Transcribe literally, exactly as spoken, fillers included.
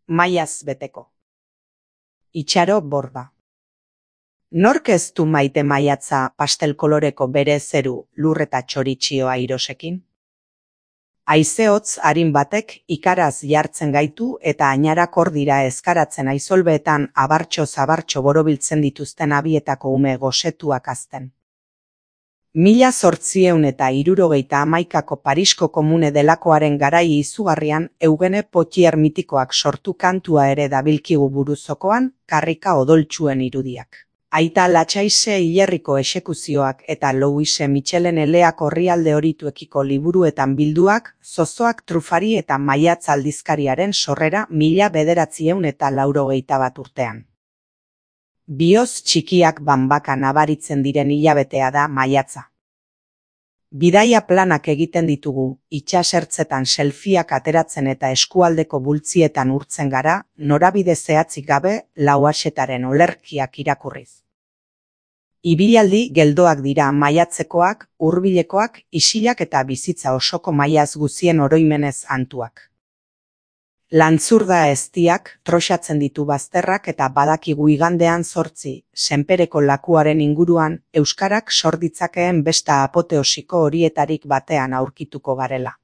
maiaz beteko. Itxaro borda. Nork ez du maite maiatza pastel koloreko bere zeru, lur eta txoritxioa irosekin? Haize hotz arin batek ikaraz jartzen gaitu eta ainarak hor dira ezkaratzen aizolbeetan abartxo-zabartxo borobiltzen dituzten abietako ume gosetuak azten. Mila zortzieun eta hirurogeita hamaikako Parisko komune delakoaren garai izugarrian Eugene Potier mitikoak sortu kantua ere dabilkigu buruzokoan karrika odoltsuen irudiak. Aita Latxaise hilerriko exekuzioak eta Louise Michelen eleak orrialde horituekiko liburuetan bilduak, zozoak trufari eta maiatz aldizkariaren sorrera mila bederatzieun eta laurogeita bat urtean. Bioz txikiak banbaka nabaritzen diren hilabetea da maiatza. Bidaia planak egiten ditugu, itsasertzetan selfieak ateratzen eta eskualdeko bultzietan urtzen gara, norabide zehatzik gabe Lauaxetaren olerkiak irakurriz. Ibilaldi geldoak dira maiatzekoak, hurbilekoak, isilak eta bizitza osoko maiaz guzien oroimenez antuak. Lantzurda eztiak, troxatzen ditu bazterrak eta badakigu igandean zortzi, senpereko lakuaren inguruan, euskarak sor ditzakeen besta apoteosiko horietarik batean aurkituko garela.